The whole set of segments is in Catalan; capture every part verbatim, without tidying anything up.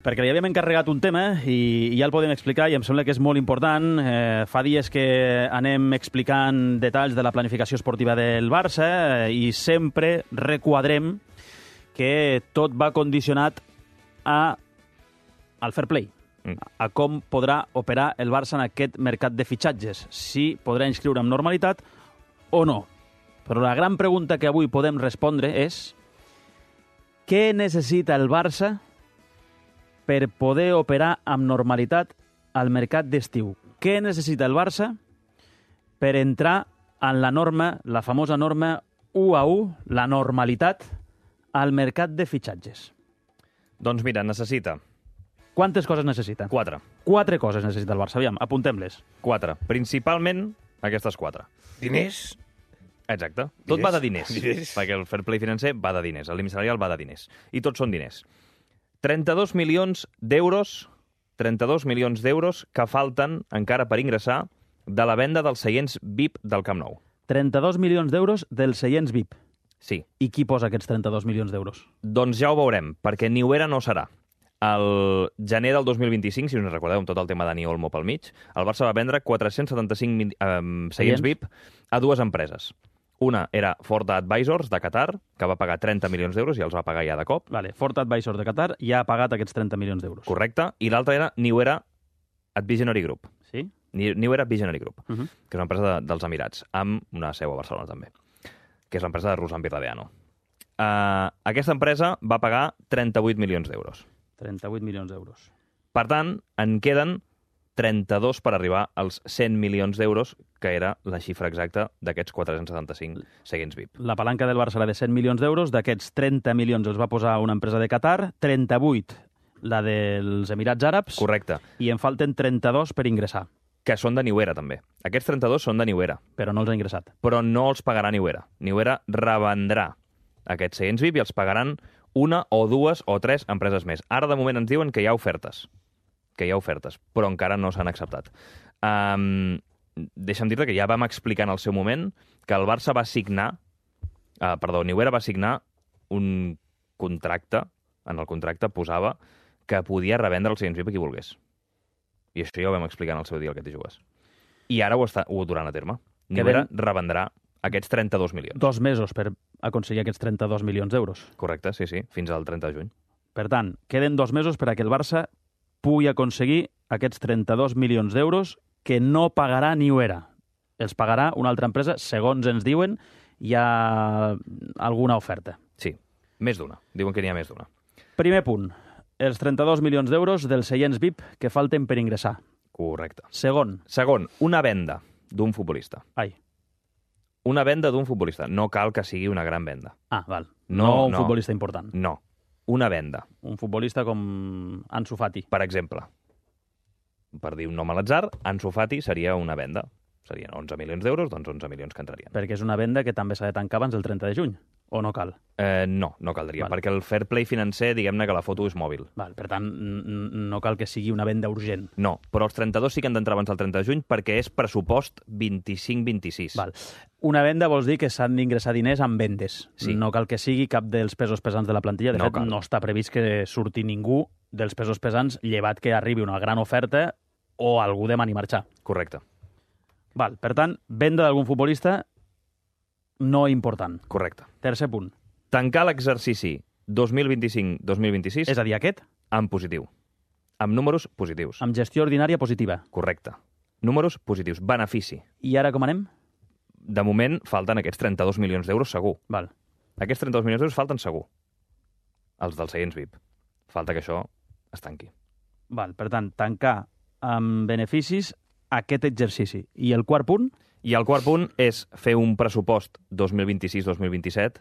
Perquè li havíem encarregat un tema i ja el podem explicar i em sembla que és molt important. Eh, fa dies que anem explicant detalls de la planificació esportiva del Barça i sempre requadrem que tot va condicionat a, al fair play, mm. a com podrà operar el Barça en aquest mercat de fitxatges, si podrà inscriure amb normalitat o no. Però la gran pregunta que avui podem respondre és què necessita el Barça per poder operar amb normalitat al mercat d'estiu? Què necessita el Barça per entrar en la norma, la famosa norma u a u, la normalitat, al mercat de fitxatges? Doncs mira, necessita... Quantes coses necessita? Quatre. Quatre coses necessita el Barça. Aviam, apuntem-les. Quatre. Principalment aquestes quatre. Diners? Exacte. Tot Diners? va de diners. Diners. Perquè el fair play financer va de diners. El límit salarial va de diners. I tots són diners. trenta-dos milions d'euros, trenta-dos milions d'euros que falten encara per ingressar de la venda dels seients V I P del Camp Nou. trenta-dos milions d'euros dels seients V I P. Sí. I qui posa aquests trenta-dos milions d'euros? Doncs ja ho veurem, perquè Niuera no serà. El gener del dos mil vint-i-cinc, si us recordeu, amb tot el tema Dani Olmo pel mig, el Barça va vendre quatre-cents setanta-cinc mil, eh, seients V I P a dues empreses. Una era Forta Advisors, de Qatar, que va pagar trenta milions d'euros i els va pagar ja de cop. Vale, Forta Advisors de Qatar ja ha pagat aquests trenta milions d'euros. Correcte. I l'altra era Niuera Advisionary Group. Sí? Niuera Visionary Group, uh Uh-huh. que és una empresa de, dels Emirats, amb una seu a Barcelona també, que és l'empresa de Ruslan Birradeano. Uh, aquesta empresa va pagar trenta-vuit milions d'euros. trenta-vuit milions d'euros. Per tant, en queden trenta-dos per arribar als cent milions d'euros, que era la xifra exacta d'aquests quatre-cents setanta-cinc seguents V I P. La palanca del Barça era de cent milions d'euros, d'aquests trenta milions els va posar una empresa de Qatar, trenta-vuit la dels Emirats Àrabs, Correcte. i en falten trenta-dos per ingressar, Que són de Niuera, també. Aquests trenta-dos són de Niuera, però no els ha ingressat. però no els pagarà Niuera. Niuera revendrà aquests seguents V I P i els pagaran una o dues o tres empreses més. Ara, de moment, ens diuen que hi ha ofertes, que hi ha ofertes, però encara no s'han acceptat. Um, deixa'm dir-te que ja vam explicar en el seu moment que el Barça va signar, uh, perdó, Niuera va signar un contracte, en el contracte posava que podia revendre els seients V I P a qui volgués. I això ja ho vam explicar en el seu dia, el que t'hi jugues. I ara ho està ho duran a terme. Niuera Queden... revendrà aquests trenta-dos milions. Dos mesos per aconseguir aquests trenta-dos milions d'euros. Correcte, sí, sí, fins al trenta de juny. Per tant, queden dos mesos per a que el Barça pugui aconseguir aquests trenta-dos milions d'euros que no pagarà Niuera. Els pagarà una altra empresa, segons ens diuen, hi ha alguna oferta. Sí, més d'una. Diuen que n'hi ha més d'una. Primer punt, els trenta-dos milions d'euros dels seients V I P que falten per ingressar. Correcte. Segon. Segon, una venda d'un futbolista. Ai. Una venda d'un futbolista. No cal que sigui una gran venda. Ah, val. No, No, un no. futbolista important. No. Una venda. Un futbolista com Ansu Fati. Per exemple, per dir un nom a l'atzar, Ansu Fati seria una venda. Serien onze milions d'euros, doncs onze milions que entrarien. Perquè és una venda que també s'ha de tancar abans del trenta de juny. O no cal? Eh, no, no caldria, Val. perquè el fair play financer, diguem-ne que la foto és mòbil. Val, per tant, n- no cal que sigui una venda urgent. No, però els trenta-dos sí que han d'entrar abans del trenta de juny perquè és pressupost vint-i-cinc vint-i-sis. Val. Una venda vols dir que s'han d'ingressar diners amb vendes. Sí. No cal que sigui cap dels pesos pesants de la plantilla. De No fet, cal. no està previst que surti ningú dels pesos pesants, llevat que arribi una gran oferta o algú demani marxar. Correcte, Val. Per tant, venda d'algun futbolista no important. correcte. Tercer punt. Tancar l'exercici dos mil vint-i-cinc dos mil vint-i-sis És a dir, aquest, en positiu. Amb números positius. amb gestió ordinària positiva. Correcte. Números positius. Benefici. I ara com anem? De moment falten aquests trenta-dos milions d'euros segur. Val. Aquests trenta-dos milions d'euros falten segur. Els dels seients V I P. Falta que això es tanqui. Val. Per tant, tancar amb beneficis aquest exercici. I el quart punt? I el quart punt és fer un pressupost dos mil vint-i-sis dos mil vint-i-set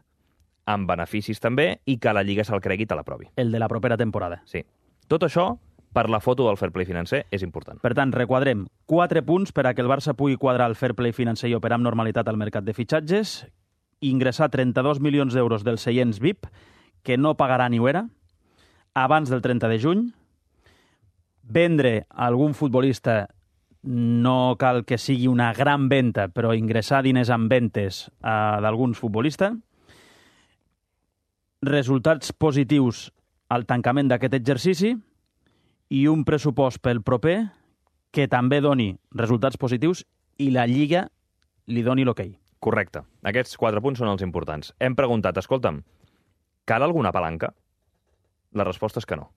amb beneficis també i que la Lliga se'l cregui i te l'aprovi. El de la propera temporada. Sí. Tot això, per la foto del fair play financer, és important. Per tant, requadrem quatre punts per a que el Barça pugui quadrar el fair play financer i operar amb normalitat al mercat de fitxatges, ingressar trenta-dos milions d'euros dels seients V I P, que no pagarà Niuera, abans del trenta de juny, vendre algun futbolista, no cal que sigui una gran venda, però ingressar diners en ventes uh, d'alguns futbolistes, resultats positius al tancament d'aquest exercici i un pressupost pel proper que també doni resultats positius i la Lliga li doni l'hoquei. Correcte. Aquests quatre punts són els importants. Hem preguntat, escolta'm, cal alguna palanca? La resposta és que no.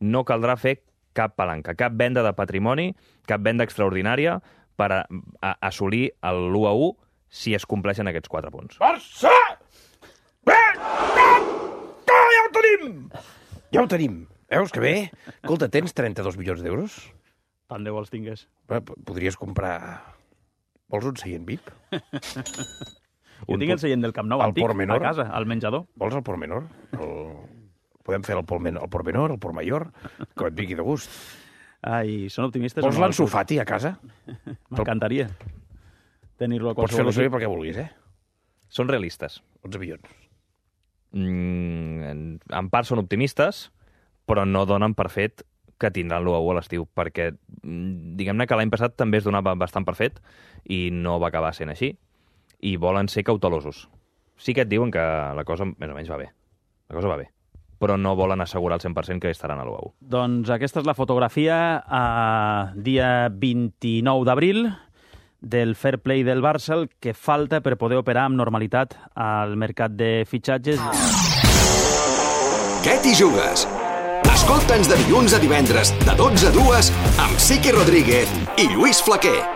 No caldrà fer cap palanca, cap venda de patrimoni, cap venda extraordinària per a, a assolir l'u a u si es compleixen aquests quatre punts. Barça! Bé! Ja ho tenim! Ja ho tenim. Veus que bé? Escolta, tens trenta-dos milions d'euros? Tant de vols tingues. Podries comprar... Vols un seient V I P? Jo tinc el seient del Camp Nou al antic, Portmenor? a casa, al menjador. Vols el Portmenor? El... Podem fer el Portmenor, el Portmenor, el Portmayor, com et vingui de gust. Ai, són optimistes. Vols l'Ansu Fati a casa? M'encantaria tenir-lo a Pots qualsevol fer-lo servir equip. perquè vulguis, eh? Són realistes. onze milions. Mm, en, en part són optimistes, però no donen per fet que tindran l'u a u a l'estiu, perquè mm, diguem-ne que l'any passat també es donava bastant per fet i no va acabar sent així, i volen ser cautelosos. Sí que et diuen que la cosa més o menys va bé. La cosa va bé. Però no volen assegurar al cent per cent que estaran a l'u a u. Doncs aquesta és la fotografia a dia vint-i-nou d'abril del fair play del Barça, el que falta per poder operar amb normalitat al mercat de fitxatges. Què t'hi jugues? Escolta'ns de dilluns a divendres, de dotze a dues, amb Siqui Rodríguez i Lluís Flaquer.